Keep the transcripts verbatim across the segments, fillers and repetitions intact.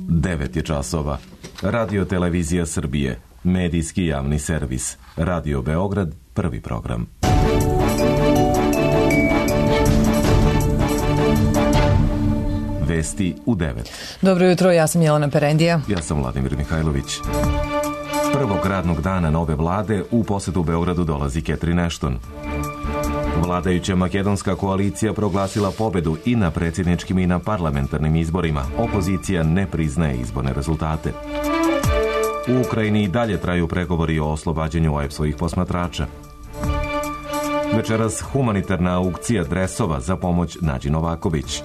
devet je časova. Radio Televizija Srbije, medijski javni servis. Radio Beograd, prvi program. Vesti u devet. Dobro jutro, ja sam Jelena Perendija. Ja sam Vladimir Mihajlović. Prvog radnog dana nove vlade u posetu Beogradu dolazi Catherine Ashton. Vladajuća makedonska koalicija proglasila pobedu i na predsjedničkim i na parlamentarnim izborima. Opozicija ne priznaje izborne rezultate. U Ukrajini i dalje traju pregovori o oslobađanju O E P S-ovih posmatrača. Večeras humanitarna aukcija dresova za pomoć Nađi Novaković.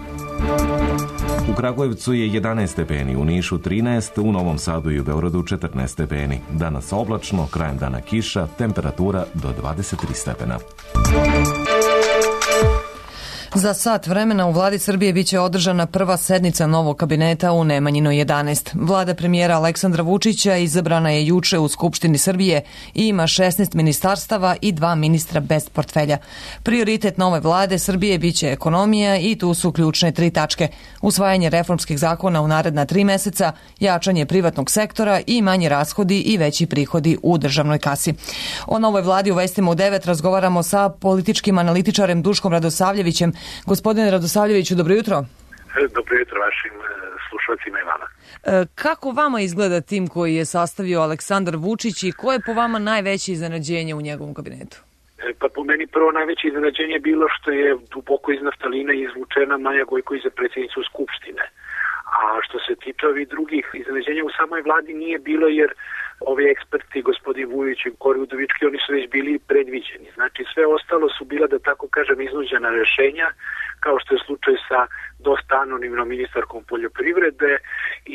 U Kragujevcu je jedanaest stepeni, u Nišu trinaest, u Novom Sadu i u Beogradu četrnaest stepeni. Danas oblačno, krajem dana kiša, temperatura do dvadeset tri stepena. Za sat vremena u vladi Srbije biće održana prva sednica novog kabineta u Nemanjinoj jedanaest. Vlada premijera Aleksandra Vučića izabrana je juče u Skupštini Srbije i ima šesnaest ministarstava i dva ministra bez portfelja. Prioritet nove vlade Srbije biće ekonomija i tu su ključne tri tačke. Usvajanje reformskih zakona u naredna tri meseca, jačanje privatnog sektora i manje rashodi i veći prihodi u državnoj kasi. O novoj vladi u vestima u devet razgovaramo sa političkim analitičarem Duškom Radosavljevićem. Gospodine Radosavljeviću, dobro jutro. Dobro jutro vašim slušalcima i vama. Kako vama izgleda tim koji je sastavio Aleksandar Vučić i koje je po vama najveće iznenađenje u njegovom kabinetu? Pa po meni prvo najveće iznenađenje je bilo što je duboko iz naftalina izvučena Maja Gojković za predsjednicu Skupštine. A što se tiče ovih drugih iznenađenja u samoj vladi nije bilo, jer ovi eksperti, gospodin Vujović i Kori Udovički, oni su već bili predviđeni. Znači sve ostalo su bila, da tako kažem, iznuđena rešenja, kao što je slučaj sa dosta anonimnom ministarkom poljoprivrede,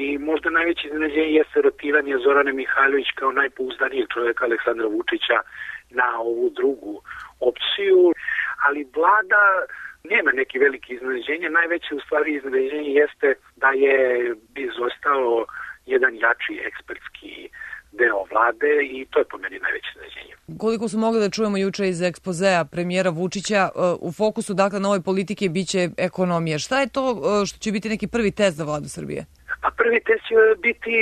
i možda najveće iznenađenje jeste rotiranje Zorane Mihajlović kao najpouzdanijeg čovjeka Aleksandra Vučića na ovu drugu opciju, ali vlada nema neki veliki iznenađenje. Najveće u stvari iznenađenje jeste da je izostao jedan jači ekspertski deo vlade i to je po meni najveće iznenađenje. Koliko su mogli da čujemo juče iz ekspozea premijera Vučića, u fokusu dakle nove politike biće ekonomija. Šta je to što će biti neki prvi test za vladu Srbije? A prvi test će biti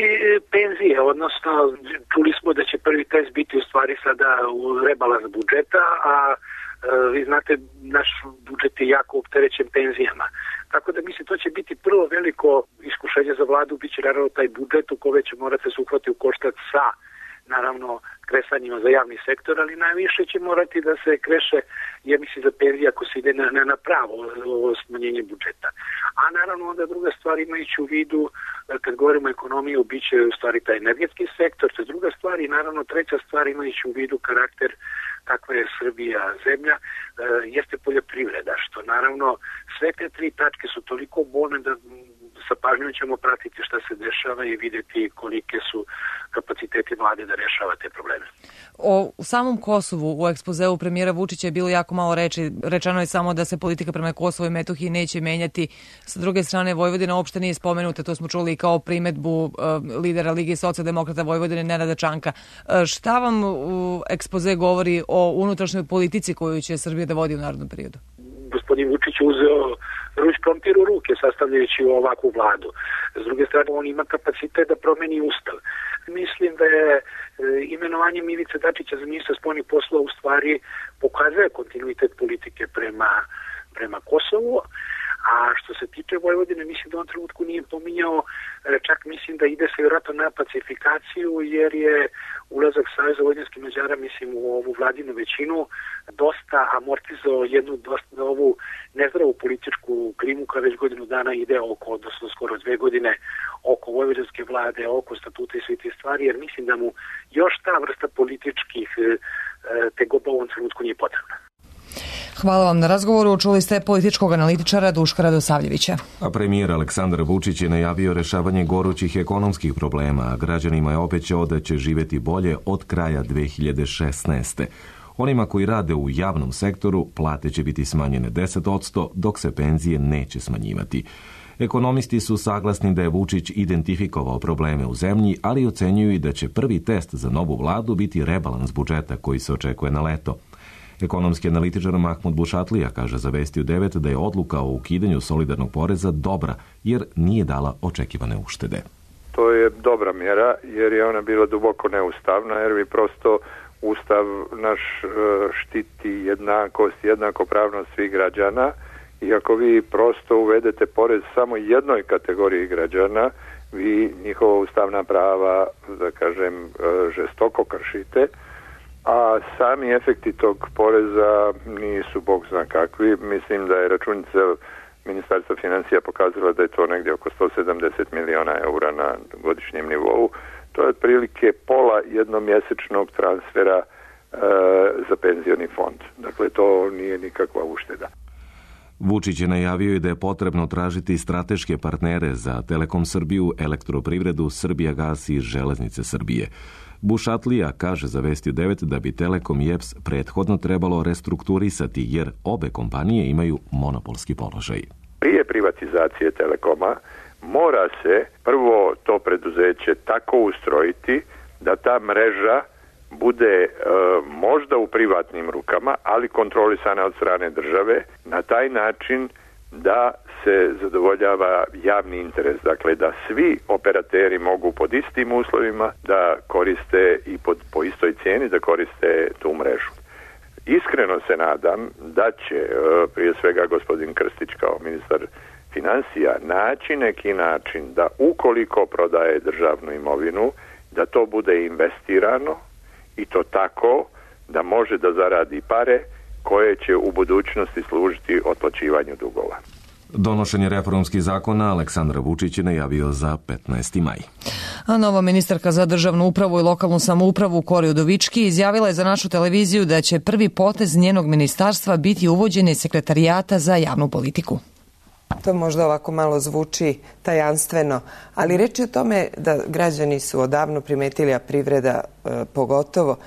penzije, odnosno čuli smo da će prvi test biti u stvari sada u rebalans budžeta, a vi znate, naš budžet je jako opterećen penzijama. Tako da mislim, to će biti prvo veliko iskušenje za vladu, bit će naravno taj budžet u kome će morati se uhvati u koštac sa, naravno, kresanjima za javni sektor, ali najviše će morati da se kreše, ja mislim, za penzije ako se ide na, na, na pravo smanjenje budžeta. A naravno onda druga stvar, imajući u vidu, kad govorimo o ekonomiji, bit će u stvari taj energetski sektor, to je druga stvar, i naravno treća stvar, imajući u vidu karakter kakva je Srbija zemlja, jeste poljoprivreda, što naravno sve te tri tačke su toliko bolne da sa pažnjom ćemo pratiti šta se dešava i vidjeti kolike su kapaciteti vlade da rešava te probleme. O samom Kosovu u ekspozeu premijera Vučića je bilo jako malo reči. Rečeno je samo da se politika prema Kosovu i Metohiji neće menjati. Sa druge strane, Vojvodina uopšte nije spomenuta, to smo čuli kao primedbu uh, lidera Lige socijaldemokrata Vojvodine Nenada Čanka. Uh, šta vam u ekspoze govori o unutrašnjoj politici koju će Srbija da vodi u narednom periodu? Gospodin Vučić uzeo ruč krompir u ruke sastavljajući ovakvu vladu. S druge strane, on ima kapacitet da promeni ustav. Mislim da je e, imenovanje Ivice Dačića za ministra spoljnih poslova u stvari pokazuje kontinuitet politike prema, prema Kosovu. A što se tiče Vojvodine, mislim da on trenutku nije pominjao, čak mislim da ide se vjerojatno na pacifikaciju, jer je ulazak Saveza vojvođanskih Mađara, mislim, u ovu vladinu većinu dosta amortizao jednu dosta ovu nezdravu političku klimu koja već godinu dana ide oko, odnosno skoro dve godine, oko vojvođanske vlade, oko statuta i sve te stvari, jer mislim da mu još ta vrsta političkih tegoba u ovom trenutku nije potrebna. Hvala vam na razgovoru. Čuli ste političkog analitičara Duška Radosavljevića. A premijer Aleksandar Vučić je najavio rešavanje gorućih ekonomskih problema, a građanima je obećao da će živjeti bolje od kraja dve hiljade šesnaeste. Onima koji rade u javnom sektoru plate će biti smanjene deset posto, dok se penzije neće smanjivati. Ekonomisti su saglasni da je Vučić identifikovao probleme u zemlji, ali ocenjuju i da će prvi test za novu vladu biti rebalans budžeta koji se očekuje na leto. Ekonomski analitičar Mahmud Bušatlija kaže za Vesti u devet da je odluka o ukidanju solidarnog poreza dobra, jer nije dala očekivane uštede. to je dobra mjera jer je ona bila duboko neustavna, jer bi prosto Ustav naš štiti jednakost, jednakopravnost svih građana i ako vi prosto uvedete porez samo jednoj kategoriji građana, vi njihova ustavna prava, da kažem, žestoko kršite, a sami efekti tog poreza nisu bog zna kakvi. Mislim da je računica Ministarstva financija pokazala da je to negdje oko sto sedamdeset miliona eura na godišnjem nivou. To je otprilike pola jednomjesečnog transfera e, za penzioni fond. Dakle, to nije nikakva ušteda. Vučić je najavio i da je potrebno tražiti strateške partnere za Telekom Srbiju, Elektroprivredu, Srbijagas i Železnice Srbije. Bušatlija kaže za Vesti devet da bi Telekom i E P S prethodno trebalo restrukturisati jer obe kompanije imaju monopolski položaj. Prije privatizacije Telekoma mora se prvo to preduzeće tako ustrojiti da ta mreža bude e, možda u privatnim rukama, ali kontrolisana od strane države na taj način da se zadovoljava javni interes. Dakle, da svi operateri mogu pod istim uslovima da koriste i pod, po istoj cijeni da koriste tu mrežu. Iskreno se nadam da će e, prije svega gospodin Krstić kao ministar financija naći neki način da ukoliko prodaje državnu imovinu, da to bude investirano i to tako da može da zaradi pare koje će u budućnosti služiti otplaćivanju dugova. Donošenje reformskih zakona Aleksandar Vučić je najavio za petnaesti maj. A nova ministarka za državnu upravu i lokalnu samoupravu Kori Udovički izjavila je za našu televiziju da će prvi potez njenog ministarstva biti uvođenje sekretarijata za javnu politiku. To možda ovako malo zvuči tajanstveno, ali reč je o tome da građani su odavno primetili, a privreda e, pogotovo,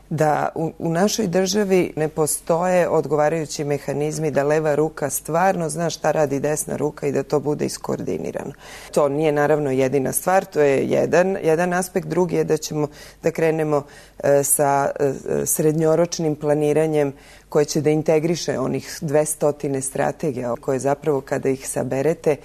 da u, u našoj državi ne postoje odgovarajući mehanizmi da leva ruka stvarno zna šta radi desna ruka i da to bude iskoordinirano. To nije naravno jedina stvar, to je jedan, jedan aspekt, drugi je da ćemo da krenemo e, sa e, srednjoročnim planiranjem koje će da integriše onih dvesta strategija koje zapravo kada ih saberete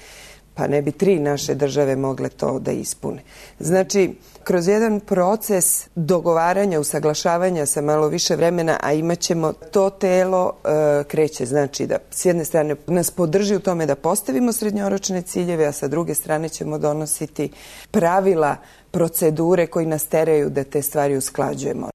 pa ne bi tri naše države mogle to da ispune. Znači, kroz jedan proces dogovaranja, usaglašavanja sa malo više vremena, a imat ćemo to telo e, kreće, znači da s jedne strane nas podrži u tome da postavimo srednjoročne ciljeve, a sa druge strane ćemo donositi pravila, procedure koji nas teraju da te stvari usklađujemo.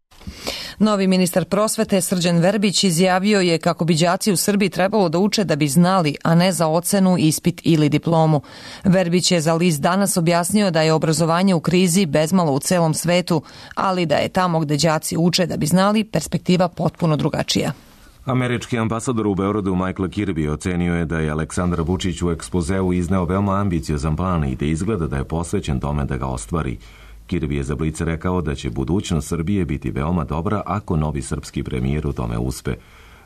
Novi ministar prosvete Srđan Verbić izjavio je kako bi đaci u Srbiji trebalo da uče da bi znali, a ne za ocenu, ispit ili diplomu. Verbić je za list Danas objasnio da je obrazovanje u krizi bezmalo u celom svetu, ali da je tamo gde đaci uče da bi znali perspektiva potpuno drugačija. Američki ambasador u Beogradu Michael Kirby ocenio je da je Aleksandar Vučić u ekspozeu izneo veoma ambiciozan plan i da izgleda da je posvećen tome da ga ostvari. Kirby je za Blic rekao da će budućnost Srbije biti veoma dobra ako novi srpski premijer u tome uspe.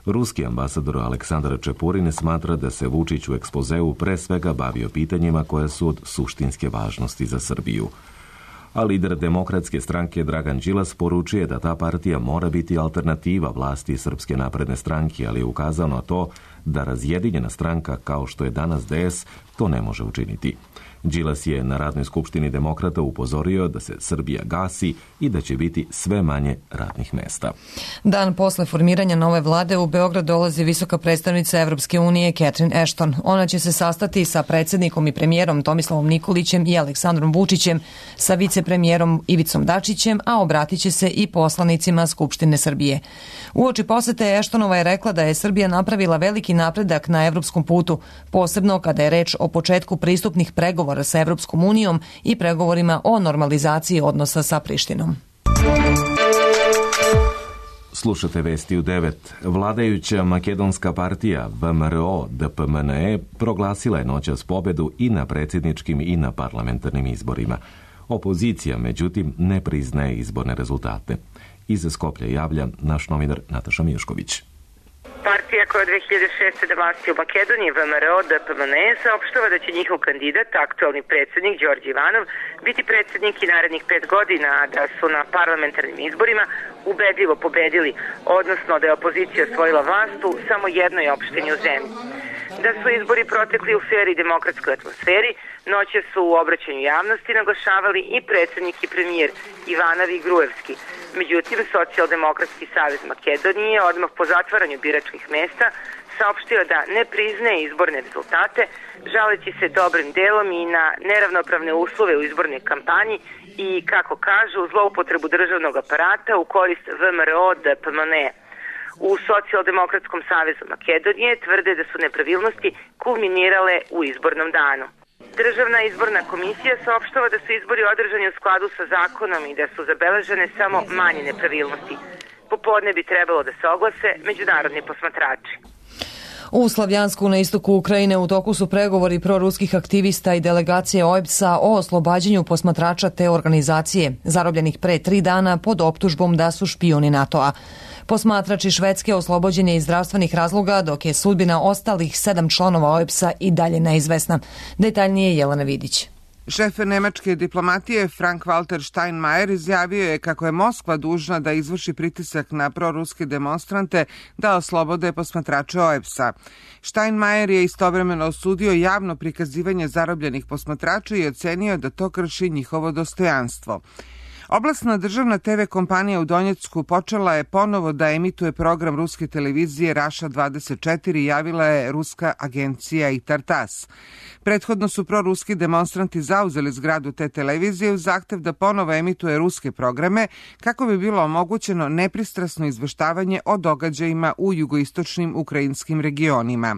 Ruski ambasador Aleksandar Čepurin smatra da se Vučić u ekspozeu pre svega bavio pitanjima koja su od suštinske važnosti za Srbiju. A lider Demokratske stranke Dragan Đilas poručuje da ta partija mora biti alternativa vlasti Srpske napredne stranke, ali je ukazao na to da razjedinjena stranka kao što je danas D S to ne može učiniti. Đilas je na radnoj skupštini Demokrata upozorio da se Srbija gasi i da će biti sve manje radnih mesta. Dan posle formiranja nove vlade u Beograd dolazi visoka predstavnica Evropske unije Catherine Ashton. Ona će se sastati sa predsjednikom i premijerom Tomislavom Nikolićem i Aleksandrom Vučićem, sa vicepremijerom Ivicom Dačićem, a obratit će se i poslanicima Skupštine Srbije. Uoči posete Ashtonova je rekla da je Srbija napravila veliki napredak na evropskom putu, posebno kada je reč o početku pristupnih pregovora sa Evropskom unijom i pregovorima o normalizaciji odnosa sa Prištinom. Slušate Vesti u devet. Vladajuća makedonska partija V M R O D P M N E proglasila je noćas pobedu i na predsjedničkim i na parlamentarnim izborima. Opozicija, međutim, ne priznaje izborne rezultate. Iz Skoplja javlja naš novinar Nataša Mišković. Partija koja je dve hiljade šeste. na vlasti u Makedoniji, V M R O D P M N E, saopštava da će njihov kandidat, aktualni predsjednik Đorđe Ivanov, biti predsjednik i narednih pet godina, a da su na parlamentarnim izborima ubedljivo pobedili, odnosno da je opozicija osvojila vlast u samo jednoj opštini u zemlji. Da su izbori protekli u fer i demokratskoj atmosferi, noće su u obraćanju javnosti naglašavali i predsjednik i premijer Ivanović i Gruevski. Međutim, Socijaldemokratski savez Makedonije odmah po zatvaranju biračkih mesta saopštio da ne priznaje izborne rezultate, žaleći se dobrim delom i na neravnopravne uslove u izbornoj kampanji i, kako kažu, zloupotrebu državnog aparata u korist V M R O D P M N E. U Socijaldemokratskom savezu Makedonije tvrde da su nepravilnosti kulminirale u izbornom danu. Državna izborna komisija saopštava da su izbori održani u skladu sa zakonom i da su zabeležene samo manje nepravilnosti. Popodne bi trebalo da se oglase međunarodni posmatrači. U Slavjansku na istoku Ukrajine u toku su pregovori proruskih aktivista i delegacije O E B S-a o oslobađanju posmatrača te organizacije, zarobljenih pre tri dana pod optužbom da su špijuni NATO-a. Posmatrač iz Švedske oslobođen je iz zdravstvenih razloga, dok je sudbina ostalih sedam članova O E B S-a i dalje neizvesna. Detaljnije Jelena Vidić. Šef nemačke diplomatije Frank-Walter Steinmeier izjavio je kako je Moskva dužna da izvrši pritisak na proruske demonstrante da oslobode posmatrače O E B S-a. Steinmeier je istovremeno osudio javno prikazivanje zarobljenih posmatrača i ocenio da to krši njihovo dostojanstvo. Oblastna državna te ve kompanija u Donjecku počela je ponovo da emituje program ruske televizije Raša dvadeset četiri, javila je ruska agencija I T A R T A S. Prethodno su proruski demonstranti zauzeli zgradu te televizije u zahtev da ponovo emituje ruske programe kako bi bilo omogućeno nepristrasno izveštavanje o događajima u jugoistočnim ukrajinskim regionima.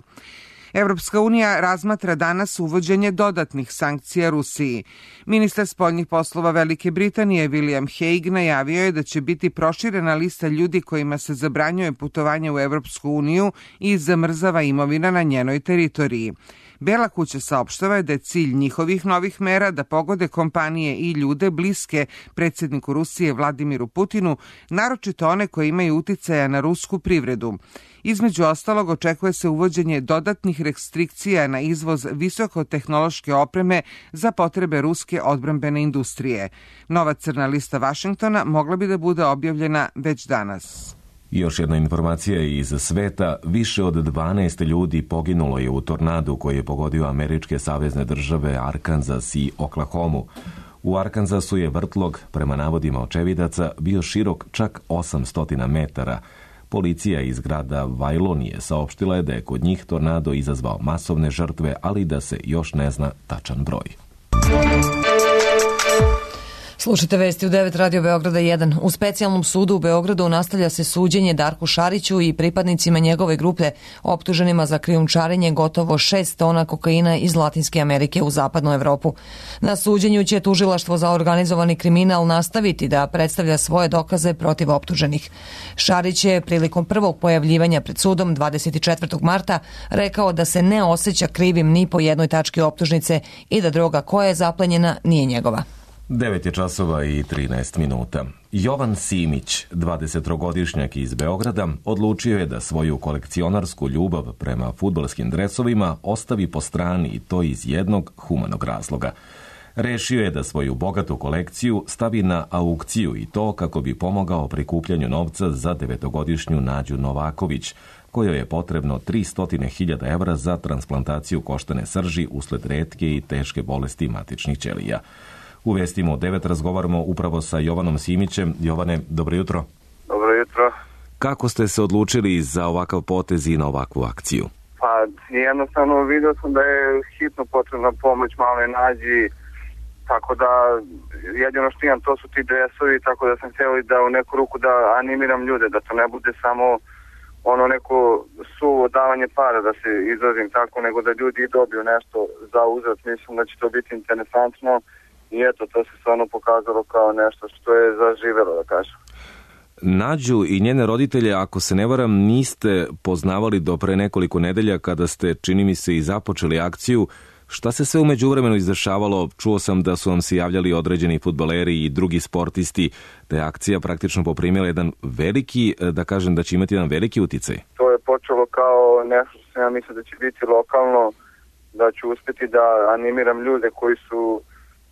Evropska unija razmatra danas uvođenje dodatnih sankcija Rusiji. Ministar spoljnih poslova Velike Britanije William Hague najavio je da će biti proširena lista ljudi kojima se zabranjuje putovanje u Evropsku uniju i zamrzava imovina na njenoj teritoriji. Bela kuća saopštava je da je cilj njihovih novih mera da pogode kompanije i ljude bliske predsjedniku Rusije Vladimiru Putinu, naročito one koji imaju uticaja na rusku privredu. Između ostalog, očekuje se uvođenje dodatnih restrikcija na izvoz visokotehnološke opreme za potrebe ruske odbrambene industrije. Nova crna lista Vašingtona mogla bi da bude objavljena već danas. Još jedna informacija iz sveta. Više od dvanaest ljudi poginulo je u tornadu koji je pogodio američke savezne države Arkansas i Oklahomu. U Arkansasu je vrtlog, prema navodima očevidaca, bio širok čak osamsto metara. Policija iz grada Vajlonije saopštila je da je kod njih tornado izazvao masovne žrtve, ali da se još ne zna tačan broj. Slušajte vesti u devet Radio Beograda jedan. U specijalnom sudu u Beogradu nastavlja se suđenje Darku Šariću i pripadnicima njegove grupe optuženima za krijumčarenje gotovo šest tona kokaina iz Latinske Amerike u zapadnu Evropu. Na suđenju će tužilaštvo za organizovani kriminal nastaviti da predstavlja svoje dokaze protiv optuženih. Šarić je prilikom prvog pojavljivanja pred sudom dvadeset četvrtog marta rekao da se ne osjeća krivim ni po jednoj tački optužnice i da droga koja je zaplenjena nije njegova. devet je časova i trinaest minuta. Jovan Simić, dvadesettrogodišnjak iz Beograda, odlučio je da svoju kolekcionarsku ljubav prema fudbalskim dresovima ostavi po strani i to iz jednog humanog razloga. Rešio je da svoju bogatu kolekciju stavi na aukciju i to kako bi pomogao prikupljanju novca za devetogodišnju Nađu Novaković, kojoj je potrebno tristo hiljada evra za transplantaciju koštane srži usled retke i teške bolesti matičnih ćelija. U vestima u devet razgovaramo upravo sa Jovanom Simićem. Jovane, dobro jutro. Dobro jutro. Kako ste se odlučili za ovakav potez i na ovakvu akciju? Pa jednostavno vidio sam da je hitno potrebna pomoć maloj Nađi, tako da jedino što imam to su ti dresovi, tako da sam htio da u neku ruku da animiram ljude, da to ne bude samo ono neko suvo davanje para, da se izrazim tako, nego da ljudi dobiju nešto za uzrat. Mislim da će to biti interesantno. I eto, to se stvarno pokazalo kao nešto što je zaživelo, da kažem. Nađu i njene roditelje, ako se ne varam, niste poznavali do pre nekoliko nedelja kada ste, čini mi se, i započeli akciju. Šta se sve u međuvremenu izdešavalo? Čuo sam da su vam se javljali određeni fudbaleri i drugi sportisti, da je akcija praktično poprimila jedan veliki, da kažem da će imati jedan veliki uticaj. To je počelo kao nešto što ja mislim da će biti lokalno, da ću uspjeti da animiram ljude koji su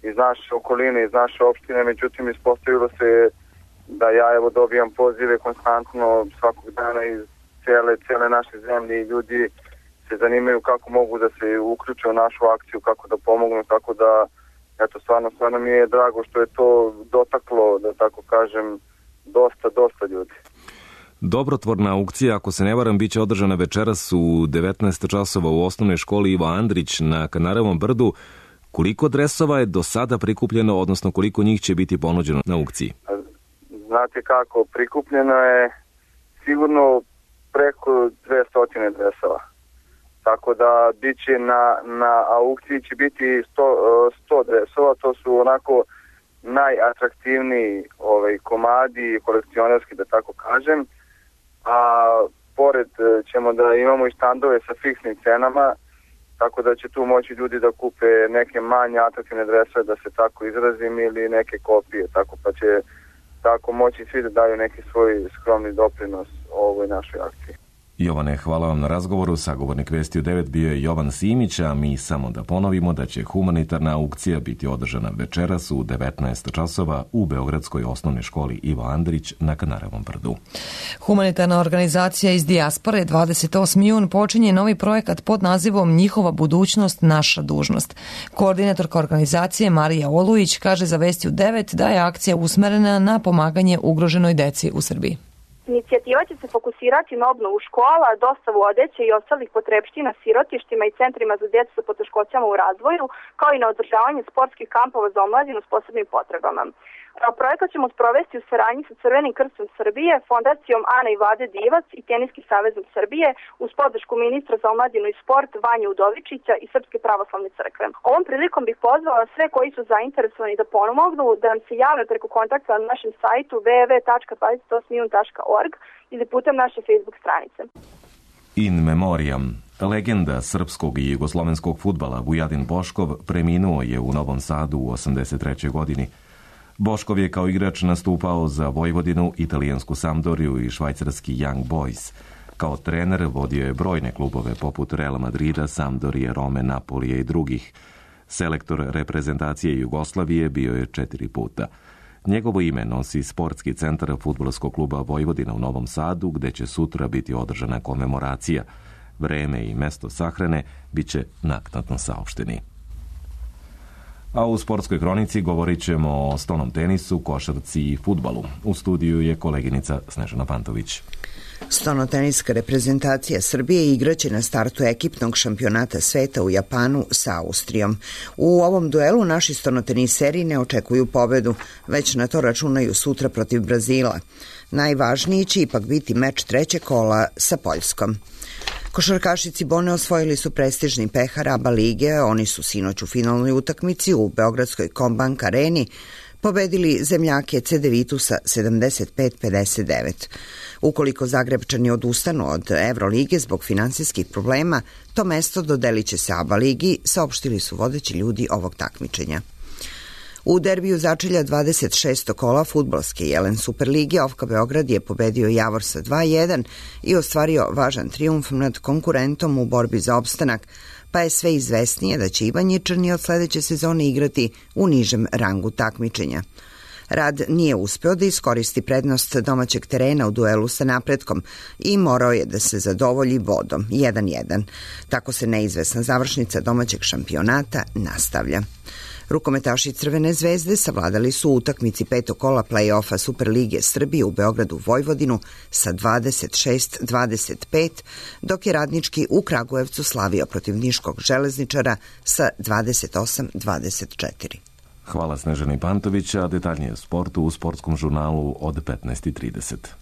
iz naše okoline, iz naše opštine, međutim ispostavilo se da ja evo dobijam pozive konstantno svakog dana iz cijele, cijele naše zemlje i ljudi se zanimaju kako mogu da se uključe u našu akciju, kako da pomognu, tako da eto, stvarno, stvarno mi je drago što je to dotaklo, da tako kažem, dosta, dosta ljudi. Dobrotvorna aukcija, ako se ne varam, bit će održana večeras u devetnaest časova u osnovnoj školi Ivo Andrić na Kanarevom brdu. Koliko dresova je do sada prikupljeno, odnosno koliko njih će biti ponuđeno na aukciji? Znate kako, prikupljeno je sigurno preko dvesta dresova. Tako da biće na, na aukciji će biti sto dresova, to su onako najatraktivniji ovaj, komadi, kolekcionarski da tako kažem. A pored ćemo da imamo i štandove sa fiksnim cenama, tako da će tu moći ljudi da kupe neke manje atraktivne dresove, da se tako izrazim, ili neke kopije, tako pa će tako moći svi da daju neki svoj skromni doprinos ovoj našoj akciji. Jovane, hvala vam na razgovoru. Sagovornik Vesti u devet bio je Jovan Simić, a mi samo da ponovimo da će humanitarna aukcija biti održana večeras u devetnaest časova u Beogradskoj osnovnoj školi Ivo Andrić na Kanarevom brdu. Humanitarna organizacija iz dijaspore dvadeset osmi jun počinje novi projekat pod nazivom Njihova budućnost, naša dužnost. Koordinatorka organizacije Marija Olujić kaže za Vesti u devet da je akcija usmerena na pomaganje ugroženoj deci u Srbiji. Inicijativa će se fokusirati na obnovu škola, dostavu odeće i ostalih potrepština sirotištima i centrima za djecu sa poteškoćama u razvoju, kao i na održavanje sportskih kampova za omladinu s posebnim potrebama. Projekat ćemo sprovesti u saradnji sa Crvenim krstom Srbije, Fondacijom Ana i Vlade Divac i Teniskim savezom Srbije uz podršku ministra za omladinu i sport Vanje Udovičića i Srpske pravoslavne crkve. Ovom prilikom bih pozvala sve koji su zainteresovani da pomognu da nam se jave preko kontakta na našem sajtu w w w tačka dvadeset osmi jun tačka org ili putem naše Facebook stranice. In memoriam. Legenda srpskog i jugoslovenskog fudbala Vujadin Boškov preminuo je u Novom Sadu u osamdeset trećoj godini. Boškov je kao igrač nastupao za Vojvodinu, italijansku Sampdoriju i švajcarski Young Boys. Kao trener vodio je brojne klubove poput Real Madrida, Sampdorije, Rome, Napolije i drugih. Selektor reprezentacije Jugoslavije bio je četiri puta. Njegovo ime nosi sportski centar fudbalskog kluba Vojvodina u Novom Sadu, gde će sutra biti održana komemoracija. Vreme i mesto sahrane bit će naknadno saopšteni. A u sportskoj kronici govorit ćemo o stolnom tenisu, košarci i fudbalu. U studiju je koleginica Snežana Pantović. Stolnoteniska reprezentacija Srbije igraće na startu ekipnog šampionata sveta u Japanu sa Austrijom. U ovom duelu naši stolnoteniseri ne očekuju pobedu, već na to računaju sutra protiv Brazila. Najvažniji će ipak biti meč trećeg kola sa Poljskom. Košarkaši Cibone osvojili su prestižni pehar ABA lige, oni su sinoć u finalnoj utakmici u Beogradskoj Kombank areni pobedili zemljake Cedevitusa sedamdeset pet pedeset devet. Ukoliko Zagrebčani odustanu od Evrolige zbog finansijskih problema, to mesto dodelit će se ABA ligi, saopštili su vodeći ljudi ovog takmičenja. U derbiju začelja dvadeset šestog kola fudbalske Jelen Superlige Ofka Beograd je pobedio Javor sa dva jedan i ostvario važan trijumf nad konkurentom u borbi za opstanak, pa je sve izvesnije da će Ivanjičani od sledeće sezone igrati u nižem rangu takmičenja. Rad nije uspeo da iskoristi prednost domaćeg terena u duelu sa Napretkom i morao je da se zadovolji bodom jedan jedan. Tako se neizvesna završnica domaćeg šampionata nastavlja. Rukometaši Crvene zvezde savladali su u utakmici petog kola play-offa Superlige Srbije u Beogradu Vojvodinu sa dvadeset šest dvadeset pet, dok je Radnički u Kragujevcu slavio protiv Niškog železničara sa dvadeset osam dvadeset četiri. Hvala Snežani Pantović, a detaljnije o sportu u sportskom žurnalu od petnaest i trideset.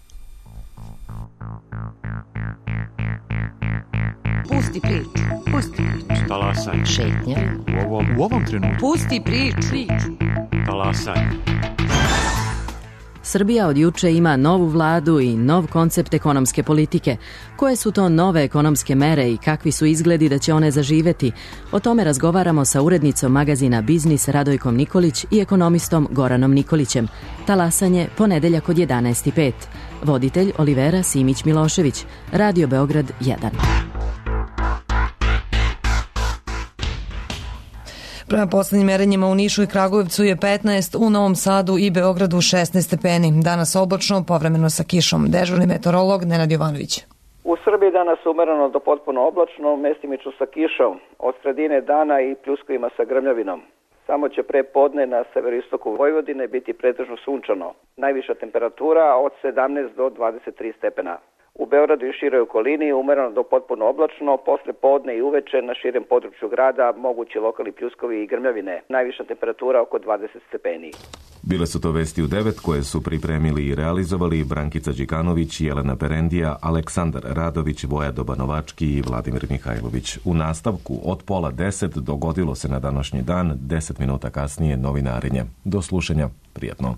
Pusti priču, pusti priču. Talasaj. Šetnja. U ovom, u ovom trenutku. Pusti priču. Talasaj. Srbija od juče ima novu vladu i nov koncept ekonomske politike. Koje su to nove ekonomske mere i kakvi su izgledi da će one zaživeti? O tome razgovaramo sa urednicom magazina Biznis Radojkom Nikolić i ekonomistom Goranom Nikolićem. Talasanje ponedeljak od jedanaest i pet. Voditelj Olivera Simić Milošević. Radio Beograd jedan. Prema poslednjim merenjima u Nišu i Kragujevcu je petnaest, u Novom Sadu i Beogradu šesnaest stepeni. Danas oblačno, povremeno sa kišom. Dežurni meteorolog Nenad Jovanović. U Srbiji danas umereno do potpuno oblačno, mestimično sa kišom, od sredine dana i pljuskovima sa grmljavinom. Samo će pre podne na severoistoku Vojvodine biti pretežno sunčano. Najviša temperatura od sedamnaest do dvadeset tri stepena. U Beogradu i široj okolini umereno do potpuno oblačno, posle podne i uveče na širem području grada mogući lokalni pljuskovi i grmljavine. Najviša temperatura oko dvadeset stepeni. Bile su to vesti u devet koje su pripremili i realizovali Brankica Đikanović, Jelena Perendija, Aleksandar Radović, Voja Dobanovački i Vladimir Mihajlović. U nastavku od pola deset dogodilo se na današnji dan, deset minuta kasnije novinarenje. Do slušanja, prijatno.